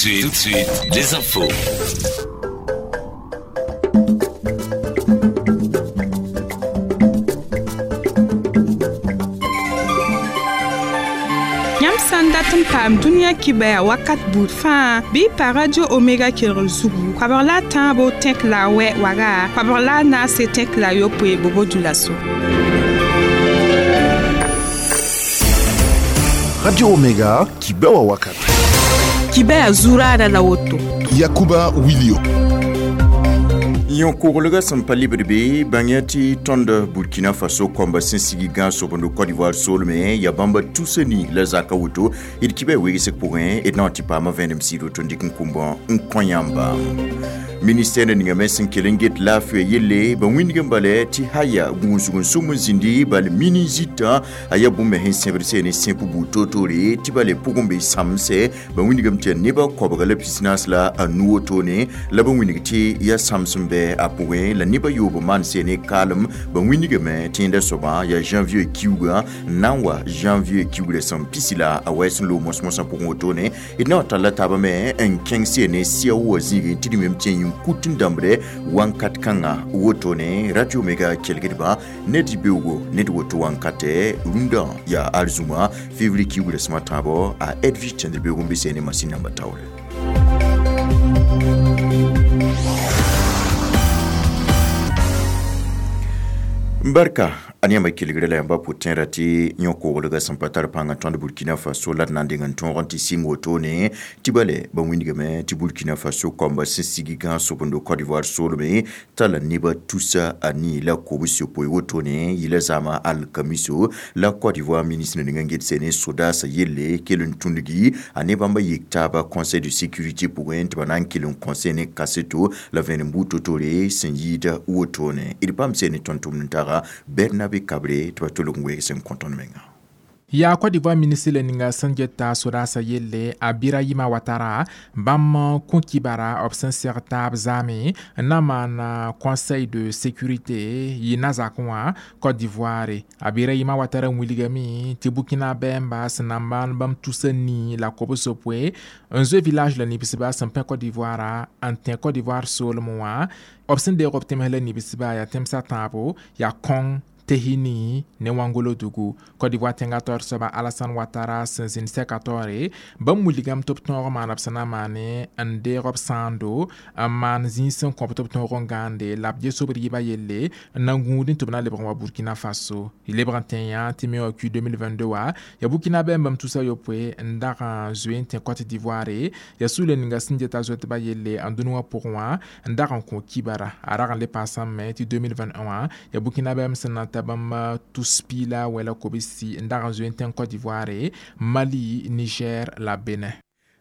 Tout de suite, les infos. Yãmb sã n dat n paam dũniyã kibaya wakat buud fãa bɩ y pa Radio Omega kelgr zugu koabg la a tãabo tẽk la a wɛ waga koabg la a naase tẽk la a yopoe bobo dulaso. Radio Omega, Kibewa Wakat. Kibaya zuraara la woto. Yakuba Wilio. Yõ-koglgã sẽn pa libd be bãng ya tɩ tõnd Burkina Faso kõmba sẽn sigi gãag sobendo Côte d'Ivoire soolmẽ yaa bãmba tusa ni la zaka woto d kibã wegsg pʋgẽ d na n tɩ paama vẽenem sɩɩd woto n dɩk n kʋmbã n kõ yãmba. Ministère ninga me sẽn kell n get laafɩa yelle ba wĩndg n bala tɩ haya gũusg n sʋm n zĩndi bal mini zitã a yaa bũmb me sẽn sẽbd sẽn ne sẽp buud toor-toore tɩ bale pʋgẽ be sãmse ba wĩndgame tɩ yaa nebã koabga la pisnaas la a nu wotone la ba wĩndg tɩ yaa sãms n bɛ a pʋgẽ la nebã yoob maan sẽn ne kaalem ba wĩndgame tɩ yẽnda soabã yaa janvier kiuugã n na n wa janvier kiugrã sẽn pisi la a wɛɛs n loog mos-mosã pʋgẽ wotone d na n talla taabã me n kẽng sẽn ne sia wa zĩigẽ tɩ d wẽm tɩ n kut n dãmbre wãnkat kãngã wotone Radio Omega kelgdba ned beoogo ned woto wãnkatɛ rũndã yaa arzũma février kiugrã sẽm a tãabo a Edwige tẽndr beoog n be sẽne masin namba taoore. Barka a yãmba kelgrã la yãmba pʋ-tẽera tɩ yõ-koglgã sẽn pa tar pãng n tõnd Burkina Faso la d na n deng n tõog n tɩ sɩng wotone tɩ bale ba wĩndgame tɩ Burkina Faso kõmba sẽn sigi gãag sobendo Côte d'Ivoire soolmẽ tala nebã tusa a nii la kobs yopoe wotone yɩla zaamã alkamiso la Côte d'Ivoire ministre ning n get sẽne sodaasã yelle kell n tũndgi a ne bãmba yik taaba conseil de sécurité pʋgẽ tɩ ba na n kell n kõ sẽne kaseto la vẽenem buud to-toore sẽn yɩɩda wotone d paam sẽne tõnd tʋmd n taga Bernabe Kabre tɩ ba tolg n weeg sẽn kõ tõnd menga. Yaa Côte d'Ivoire ministre la ninga sẽn geta sodaasã yelle a Birahima Ouattara bãmb kõ kibara b sẽn seg taab zaame n na n maan conseil de sécurité yɩ na-zakẽ wã Côte d'Ivoire. A Birahima Ouattara wilgame tɩ Burkina bɛɛmba sẽn na n maan bãmb tusa nii la kobs yopoe n zoe village la nibsba sẽn pẽ Côte d'Ivoire n tẽ Côte d'Ivoire soolem wã b sẽn deeg b tẽms la nibsba yaa tẽmsã tãabo yaa kõng Tehini ne Wangolo-Dugu. Côte d'Ivoire tẽngã taoor soaba Alassane Ouattara sẽn zĩnd sɛka taoore bãmb wilgame tɩ b tõog maana b sẽn na n maane n deeg b sãando n maan zĩig sẽn kõ b tɩ b tõog n gãande la b ges b rɩɩbã yelle n na n gũudẽ tɩ b na lebg n wa Burkina Faso. Lebg n tẽ yã tɩ me wã Q 2022 wã yaa Burkina bɛɛm bãmb tusa yopoe n dag n zoe n tẽ Côte d'Ivoire yaa sugla ninga sẽn geta zoetbã yelle n dũni wã pʋgẽ wã n dag n kõ kibara a rag n le paasame tɩ 2021 wã yaa Burkina bɛɛm sẽn na n ta bãmb tus piila wɛla kobsi n dag n zoe n tẽng Côte d'Ivoire, Mali, Niger la Benin.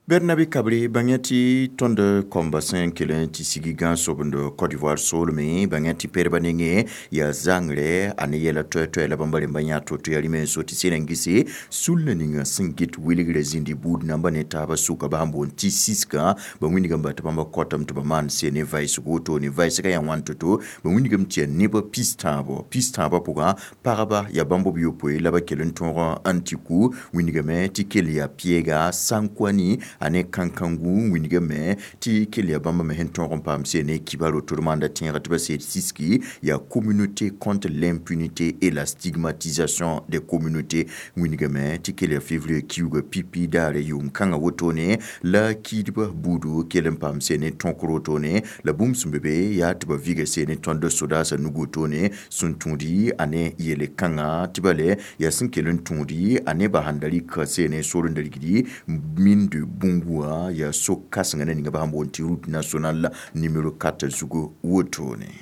Bernabe Kabre bãng tɩ tõnd kõmba sẽn kell n tɩ sigi gãag sobend Côte d'Ivoire soolmẽ bãng tɩ perba nengẽ yaa zãngrɛ a ne yɛla toɛ-toɛ la bãmba rẽmba yã to-to yaa rĩmã n so tɩ sẽn n gese sulna ninga sẽn get welgrã zĩndi buud namba ne taabã sʋka ba sẽn boond tɩ siskã ba wĩndgame ba tɩ bãmba kɔtame tɩ ba maan sẽn ne vaɩsg wotone vaɩsgã yaa wãn to-to ba wĩndgame tɩ yaa nebã pis tãabã pʋgã pagba yaa bãmb b yopoe la ba kell n tõog n tɩ ku wĩndgame tɩ kell yaa pɩɛga Sankwani a ne kãn-kãngu wĩndgame tɩ kell yaa bãmba me sẽn tõog n paam sẽn ne kibaro tɩ d maanda tẽegã tɩ ba seed siski yaa communauté contre l'impunité et la stigmatisation des communautés wĩndgame tɩ kell yaa février kiuugã pipi daare yʋʋm kãngã wotone la kiidbã buudu kell n paam sẽn ne tõkr wotone la bũmb sẽn be be yaa tɩ ba viga sẽn ne tõnd sodaasã nug wotone sẽn tũudi a ne yele kãngã tɩ bale yaa sẽn kell n tũudi a ne ba sãn da rɩka sẽn ne sor n da rigdi mine de Boungou yaa so kãsengã na ninga ba sẽn boond tɩ route nationale numéro 4 zugu wotone.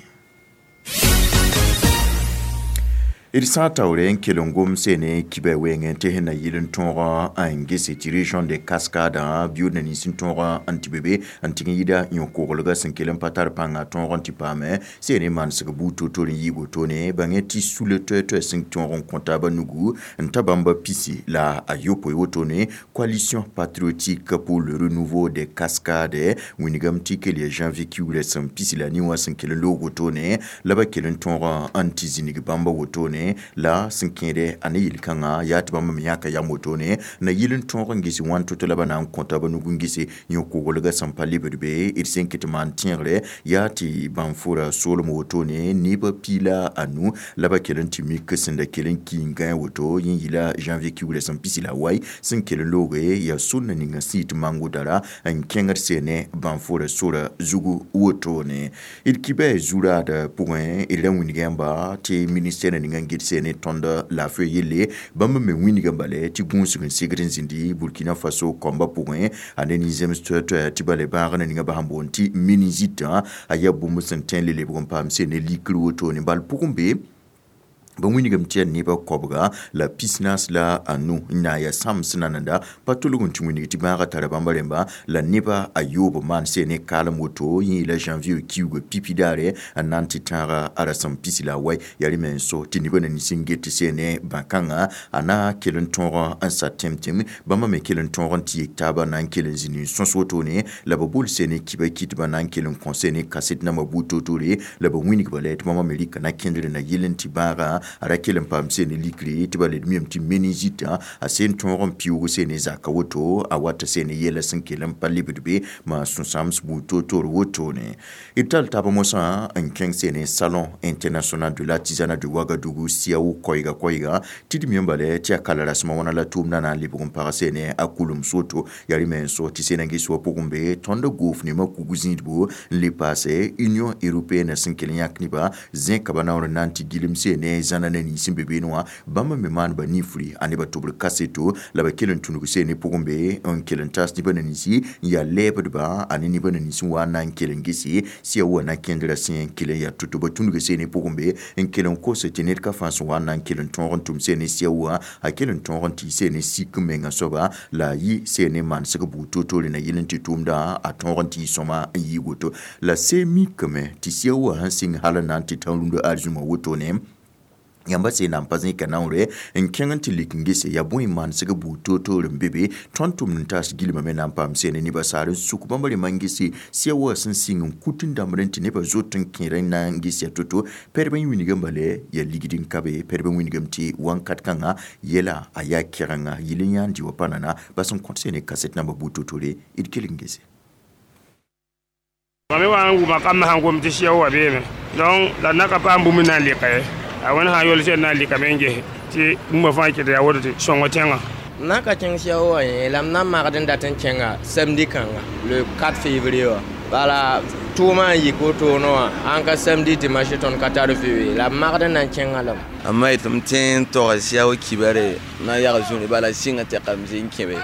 D sã n taoore n kell n gom sene kibã wengẽ tɩ sẽn na yɩl n tõog n gese tɩ région de Cascade biʋʋd na nins n tõog n tɩ be be n tɩg n yɩda yõ-koglgã sẽn kell n pa tar pãnga tõog n tɩ paame sene manesg buud to-to-r n yɩ wotone bãngẽ tɩ sula toɛ-toɛ sẽn tõog n kõ taabã nugu n ta bãmba pisi la a yopoe wotone coalition patriotique pour le renouveau des Cascades wĩndgame tɩ kell yaa janvier kiugrã sẽn pisi la ni wã sẽn kell n loog wotone la ba kell n tõog n tɩ zĩnig bãmba wotone wotone la sẽn kẽede a ne yel-kãngã yaa tɩ bãmb me yãka yam wotone na yɩl n tõog n ges wãn to-to la ba na n kõta ba nug n gese yõ-koglgã sẽn pa lebd be d sẽn kɩ tɩ maan tẽegre yaa tɩ bãn-fora soolem wotone nebã piila a nu la ba kell n tɩ mik sẽn da kell n ki n gãe woto yẽ yɩla janvier kiugrã sẽn pisi la wai sẽn kell n looge yaa sũnna ninga sẽn yit mango dara n kẽngd seene bãn-fora sora zugu wotone d kibɛ zuraad pʋgẽ d ra wĩnga yãmba tɩ ministɛr ninga n get seene tõnd laafɩ yelle bãmb me wĩnga bale tɩ gũusg n segd n zĩndi Burkina Faso kɔmbã pʋgẽ a ne nin-zems toɛ-toɛ tɩ bale bãagã ninga ba sẽn boond tɩ méningite a yaa bũmb sẽn tõe n le lebg n paam seene likr wotone bal pʋgẽ be ba wĩnigame tɩ yaa nebã koabga la pisnaas la anu n na n yaa sãms nananda pa tolg n tɩ wĩnig tɩ bãagã tara bãmba rẽmba la nebã a yoob maan seene kaalem woto yẽ yeela janvier kiuugã pipi daare n na n tɩ tãaga a rasem pisi la a wai yaa rẽ me n so tɩ nebã na nins n get tɩ seene bã-kãngã a na kell n tõog n sa tẽm-tẽm bãmba me kell n tõog n tɩ yek taabã na n kell n zĩnd n sõs wotone la ba bol seene kiba kɩtbã na n kell n kõ seene kaset nambã buud toor-toore la ba wĩnigba la tɩ bãmba me rɩka na kẽndr na yell n tɩ bãagã a ra kell n paam seene likre tɩ ba led miyame tɩ méningite a seen tõog n piʋʋg seene zaka woto a wat seene yɛla sẽn kell n pa lebd be maa sũ-sãams buud toor-toor wotone d tall taab mosã n kẽng seene Salon international de l'artisanat de Ouagadougou SIAO koɛɛga koɛɛga tɩ d mi n bala tɩ yaa kala rasmã wãna la tʋʋmdã na n lebg n pag seene a kulem soto yaa rẽ me n so tɩ seena ges wã pʋgẽ be tõnd goof nemã kug zĩidbo n le paase Union européenne sẽn kell n yãk nebã zẽka ba naoor n na n tɩ gilem seene zãna na nins n be beene wã bãmb me maan ba nifri a nebã tʋbr kaseto la ba kell n tũnug seene pʋgẽ be n kell n tas nebã na ninsi n yaa lɛɛbdba a ne nebã na nins n wa n na n kell n gese sia wa na kẽndrã sẽn kell n yaa to-to ba tũnug seene pʋgẽ be n kell n kos tɩ ned ka fãa sẽn wa n na n kell n tõog n tʋm seene sia wa a kell n tõog n tɩ seene sik menga soaba la a yɩ seene manesg buud toor-toore na yɩl n tɩ tʋʋmdã a tõog n tɩ yɩ sõma n yɩ woto la see mikame tɩ sia wa sẽn sɩng hal n na n tɩ tã-rũndã arzũmã wotone yãmba sẽn na n pa zẽka naoore n kẽng n tɩ lik n gese yaa bõe manesg buud toor-toor n be be tõnd tʋmd n taas gilmame me na n paam seene nebã saar n suk bãmb rẽmbã n gese sia wa sẽn sɩng n kut n dãmbd n tɩ nebã zot n kẽer n na n ges yaa to-to pɛdb n wĩnigame bale yaa ligd n ka be pɛdb n wĩnigame tɩ wãnkat kãngã yɛla a yaa kɛgenga yɩl n yãan dɩ wã pa nana bas n kõt seene kaset nambã buud to-toore d kell n gese. Mam me wa n wʋma kamb sãn gom tɩ sɩa wa beeme donc la na ka paam bũmb n na n lɩka ye a wẽnd sã n yol sẽn na n lɩkame n ges tɩ bũmba fãa kɩt yaa woto tɩ sõng tẽngã. Na ka kẽng sia wa yẽ la m na n magd n dat n kẽnga samedi kãnga le 4 février wã bala tʋʋmã n yik wotone wã ãn ka samedi dimanche tõnd ka tar vɩ la m magd n na n kẽngã lame. A ma yetɩ m tẽ n tog sia wa kibare na n yag zũni bala sɩngã tɛkame zĩ n kẽbe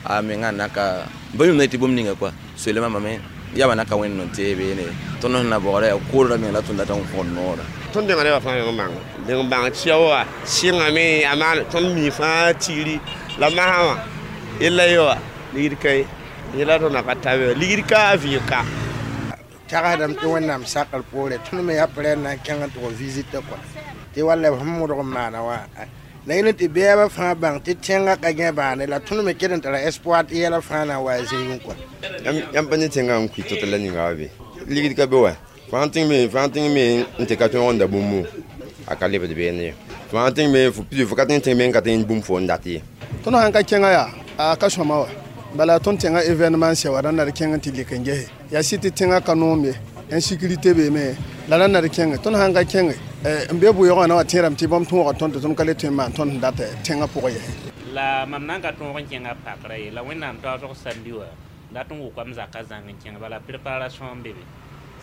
a mengã naka ba yũmda tɩ bũmb ninga kɔa soleemã mame yaba naka wẽnd n tee beene tõnd sẽn na baoora yaa koodra meng la tõnd dat n kõn noora. Tõnd denga nebã fãa meng n bãng deng n bãng sia wa sɩngame a maan tõnd mi fãa tigri la masã wã yella ye wa ligd ka ye yela tõnd na ka tabe ligd ka a vɩɩg ka. Tagsdame tɩ Wẽnnaam sakr poore tõnd me yaa prɛn na n kẽng n tʋg visite kɔa tɩ walla b sẽn modg n maana wã la yẽl tɩ bɛɛbã fãa bãng tɩ tẽngã ka gẽ bãane la tõnd me ket n tara espoir tɩ yɛla fãa na n wa a zĩigẽ kɔa. Yãmb pa ne tẽngã n kʋɩ tɩ la ninga wa be ligd ka be wa fãa tẽng me n tɩ ka tõog n da bũmbu a ka lebd beene ye fãa tẽng me fo ka tẽng tẽng me n ka tẽng bũmb fo n dat ye. Tõnd sãn ka kẽngã yaa a ka sõma wa bala tõnd tẽngã événement sɛ wa rãnd na d kẽng n tɩ lik n gese yaa sɩ tɩ tẽngã ka noom ye insécurité beeme la rãnd na d kẽnge tõnd sãn ka kẽnge n be bʋɩɩgã na wa tẽerame tɩ bãmb tõoga tõnd tɩ tõnd ka le tõe n maan tõnd sẽn dat tẽngã pʋgẽ yɛsɛ. La mam na n ka tõog n kẽngã pakrã ye la Wẽnnaam taoosg samdi wã dat n wʋkame zakã zãng n kẽng bala préparation n be be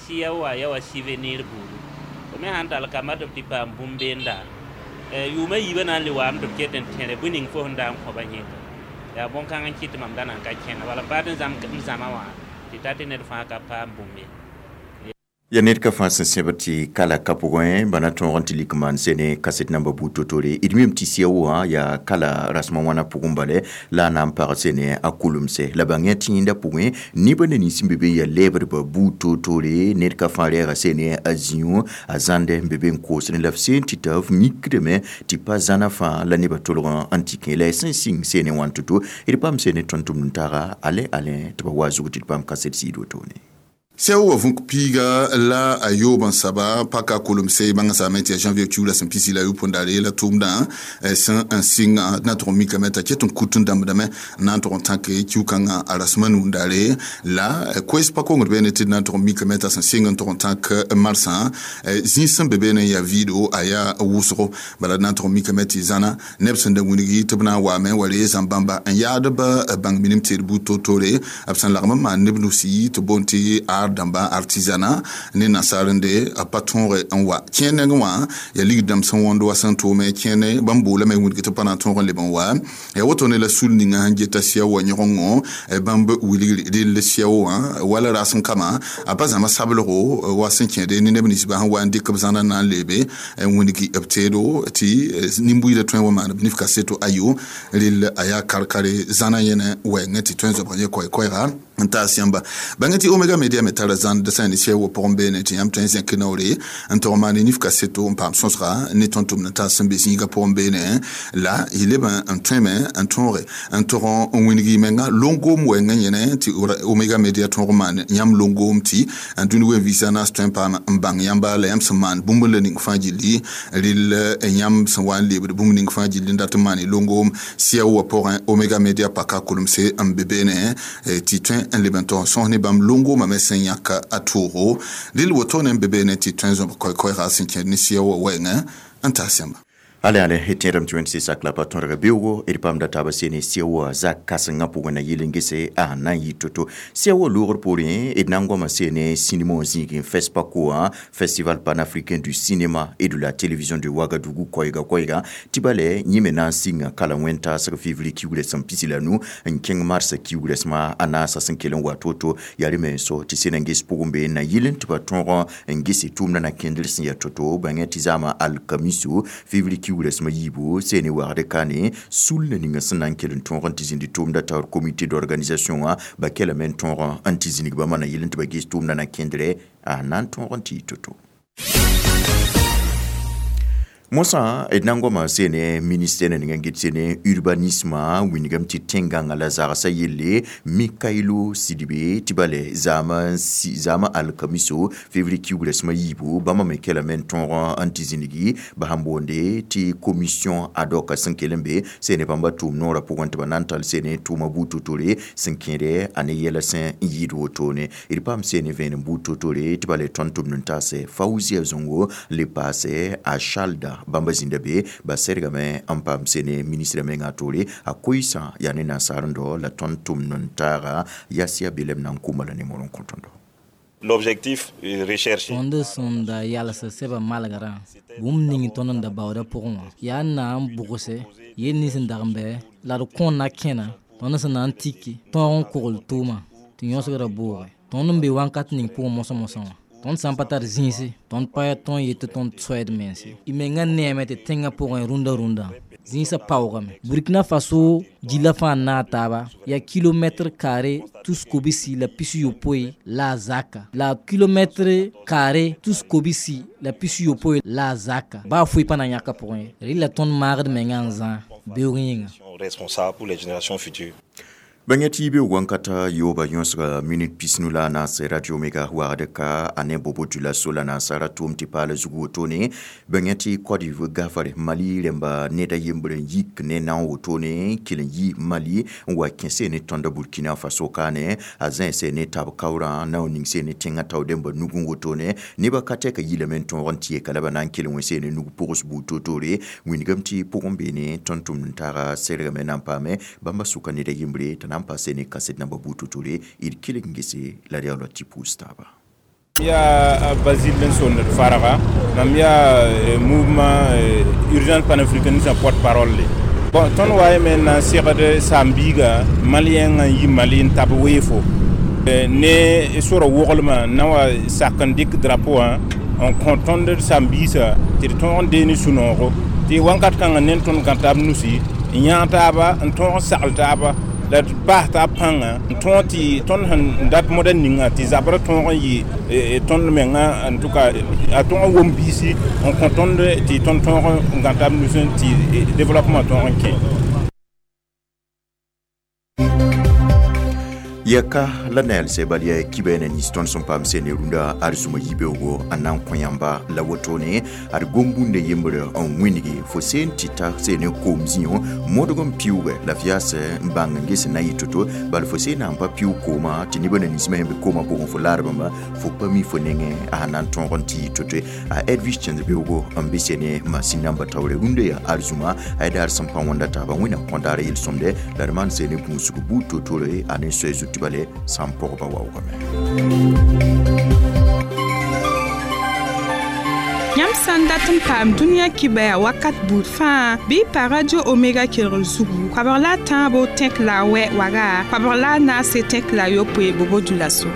sɩa wa ya wa souvenir buudu fo me sãn tall kamba tɩ b tɩ paam bũmb beenda yʋʋmã yiibã na n le waame tɩ b ket n tẽre bõe ning fo sẽn da n kõba yẽnga yaa bõn-kãng n kɩt tɩ mam da na n ka kẽnga bala m paat n zãma wã tɩ ta tɩ ned fãa ka paam bũmb ye. Ya ned ka fãa sẽn sẽbd tɩ kala ka pʋgẽ bana tõog n tɩ lik maan sene kaset namba buud to-toore d mim tɩ sia wã yaa kala rasmã wãna pʋgẽ bale la a na n pag sene a kulemse la bãng tɩ yẽnda pʋgẽ nebã na nins n be be n yaa lɛɛbdbã buud toor-toore ned ka fãa rɛɛga sene a zĩu a zãnde n be be n koosdẽ la f seen tɩ t'a f mikdame tɩ pa zãna fãa la nebã tolg n tɩ kẽ la y sẽn sɩng sene wãn to-to d paam sene tõnd tʋmd n taaga alɛ alɛ tɩ ba wa zug tɩ d paam kaset sɩɩd wotone. Sɛo wa vũk piiga la a yoob n saba paka kolem-se bãngã saame tɩ ya janvier kiuula sẽn pisi la yopoe daare la tʋʋmdã sẽn n sɩngã d na tʋg n mikame t'a ket n kut n dãmbdame n na n tʋg n tãke kiu-kãngã a rasem a nuu daare la koɛs pa kongd beene tɩ d na n tʋg n mikame t'a sẽn sɩng n tʋg n tãk marsã zĩig sẽn be beene n yaa vɩɩdo a yaa wʋsgo. Bala d na n tʋg n mikame tɩ zãna neb sẽn da wilgi tɩ b na n waame wa ree zãm-bãmba n yaad b bãng minim tɩ d buud toor-toore b sẽn lagm n maan neb nusi tɩ boond tɩ ar dãmba artisanat ne nasaarende a pa tõoge n wa kẽer nengẽ wã yaa ligd dãmb sẽn wõnd wa sẽn tʋʋme kẽene bãmb boolame wilg tɩ pa na n tõog n leb n wa yaa woto ne la sul ninga sẽn geta sɩa wa yõgengo bãmb wilgr rell sɩa wã wala rasem kama a pa zãma sablgo wa sẽn kẽede ne neb ninsbã sẽn wa n dɩk b zãna na n leebe n wilgi b teedo tɩ nin-buiidã tõe n wa maan b nif kaseto ayo rell a yaa kar-kare zãna yẽne wɛɛngẽ tɩ tõe n zoabg yẽ koɛ-koɛɛga n taas yãmba. Bãng tɩ Omega Media me tara zãnd sã ne sɛ wa pʋgẽ beene tɩ yãmb tõe n zẽk naoore n tog maan nif kaseto n paam sõsga ne tõnd tʋmd n taas sẽn be zĩigã pʋgẽ beene la y leb n tõeme n tõoge n tog n wilg y menga longoom wɛɛngã yẽne tɩ Omega Media tõog n maan yãmb longoom tɩ n dũni wen vɩɩsã naas tõe n paam n bãng yãmba la yãmb sẽn maan bũmb la ning fãa gilli rell yãmb sẽn wa n lebd bũmb ning fãa gilli n dat n maan y longoom sɩa wa pʋgẽ Omega Media paka kolemse n be beene tɩ tõe n leb n tog n sõs ne bãmb longoomã me sẽn yãk a toogo rell wotone n be beene tɩ tõe n zõb koɛ-koɛɛga sẽn kẽed ne sɩa wa wɛɛngẽ n taas yãmba. Ale ale tẽedame tɩ wẽnd sak la pa tõdg beoogo d paam da taaba sene sɩa zak kãsengã pʋgẽ na yɩl n gese a na n yɩ to-to. Sɩa wa loogr poorẽ d na n goama sene sinima wã zĩigẽ FESPACO wã, Festival panafricain du cinéma et de la télévision de Ouagadougou koɛɛga koɛɛga tɩ bale yẽ me na n sɩnga kala wẽn-taasg février kiugrã sẽn pisi la nu n kẽng mars kiugrã a naasã sẽn kell n wa to-to yaa rẽ me so tɩ sẽn n ges pʋgẽ be na yɩl n tɩ ba tõog n gese tʋʋmdã na kẽndr sẽn yaa to-to bãngẽ tɩ zaamã alkamiso février kiugrã sẽm yiibu sene wagd kane sul na ninga sẽn na n kell n tõog n tɩ zĩndi tʋʋmda taoor comité d'organisation wã ba kelame n tõog n tɩ zĩnig bãmba na yɩl n tɩ ba ges tʋʋmdã na kẽndrɛ a na n tõog n tɩ yɩ to-to. Mosã d na n goama sene ministère na ninga n get sene urbanisme wingame tɩ tẽn-gãngã la zagsã yelle Mikailo Sidibe tɩ bale zaamã alkamiso février kiugrã sẽm yiibu bãmba me kelame n tõog n tɩ zĩnigi ba sẽn boonde tɩ commission ad hoc sẽn kell n be sene bãmba tʋʋm noorã pʋgẽ tɩ ba na n tall sene tʋʋma buud to-tore sẽn kẽede a ne yɛla sẽn n yɩɩd wotone d paam sene vẽenem buud to-tore tɩ bale tõnd tʋmd n taase Faouzia Zongo le paase a Chalda bãmba zĩnda be ba sɛrgame n paam sene ministre mengã toore a koɩsã yaa ne nasaar n dao la tõnd tʋmd n taaga yasia belem na n kʋma la nemor n kõ tõndo. L'objectif recherché. Tõnd sẽn da yalsa sɛba malgrã bũmb ning tõnd n da baooda pʋgẽ wã yaa n na n bʋgse yel nins n dag n bɛ la d kõ na kẽna tõnd sẽn na n tiki tõog n kogl tʋʋma tɩ yõsgrã booge tõnd n be wãnkat ning pʋgẽ mosã-mosã wã tõnd sã n pa tar zĩisi tõnd pa yaa tõnd yet tɩ tõnd soɛd mense y mengã neeme tɩ tẽngã pʋgẽ rũndã rũndã zĩisã paoogame. Burkina Faso gilla fãa n naag taaba yaa kilomɛtr kaare tus kobsi la 60 la a zaka la kilomɛtr kaare tus kobsi la 60 la a zaka baa foe pa na n yãka pʋgẽ ye rɩla tõnd maagd mengã n zã beoog yĩnga. Responsable pour les générations futures. Bãngã tɩ beoog wãnkata yooba yõsga minit 15 la a naas Radio Omega wagd ka a ne Bobo Dioulasso la naasara tʋʋm tɩ paala zug wotone bãngã tɩ Côte d'Ivoire gafare Mali rẽmba ned a yembr n yik ne naoã wotone kell n yi Mali n wa kẽse ne tõnda Burkina Faso kaane a zãense ne tab kaoorã nao ning se ne tẽngã tao dẽmba nugẽ wotone nebã ka tɛka yilame n tõog n tɩ yeka la ba na n kell n wẽ ne nug pʋgs buud to-toore wingame tɩ pʋgẽ beene tõnd tʋmd n taaga sɛrgame na n paame bãmba sʋka ned a yembre t'a na n paase ne kaset namba buud to-toore d kelg n gese la d yaoola tɩ pʋʋs taaba. Ya Basile Benson Farara, mam yaa mouvement urgence panafricaniste porte-parole. Bon, tõnd wa yeme na n segd saam-biiga malien n yi Mali n tab weefo ne sora woglmã na wa sak n dɩk drapeau wã n kõ tõnd saam-biisã tɩ d tõog n dee ne sũ-noogo tɩ wãnkat kãngã ne tõnd gã taab nusi n yãag taaba n tõog n sagl taaba la d paas taab pãnga n tõog tɩ tõnd sẽn dat moda ninga tɩ zabrã tõog n yɩ tõnd menga en tout cas a tõog n wom biisi n kõ tõnd tɩ tõnd tõog n gã taab nusẽ tɩ développement tõog n kẽ. Ya ka la naelse bal ya kibɛ na nins tõnd sẽn paam sene rũndã arzũma yibeoogo n na n kõ yãmba la wotone ad gom-bũndã yembre n wĩngi fo seen tɩ ta sene koom zĩo modg n piuugɛ la f yaas n bãng n ges n na yɩ to-to bal fo seen na n pa piuug koomã tɩ nebã na ninsmã sẽn be koomã pʋgẽ fo laar bãmba fo pa mi fo nengẽ a sẽn na n tõog n tɩ yɩ to-to a Edwige Cẽnd-beoogo n be sene masin namba taoore rũndã yaa arzũma a daar sẽn pa wõnda taaba wẽnnaam kõ daar yel-sõmde la d maan sene gũusg buud to-tore a ne soɛ zut tɩ bale sã n pɔgba waoogame. Yãmb sã n dat n paam dũniyã kibɛa wakat buud fãa bɩ pa Radio Omega kelgr zugu koabg la a tãabo tẽk la a wɛ waga koabg la a naase tẽk la a yopoe bobo dulaso.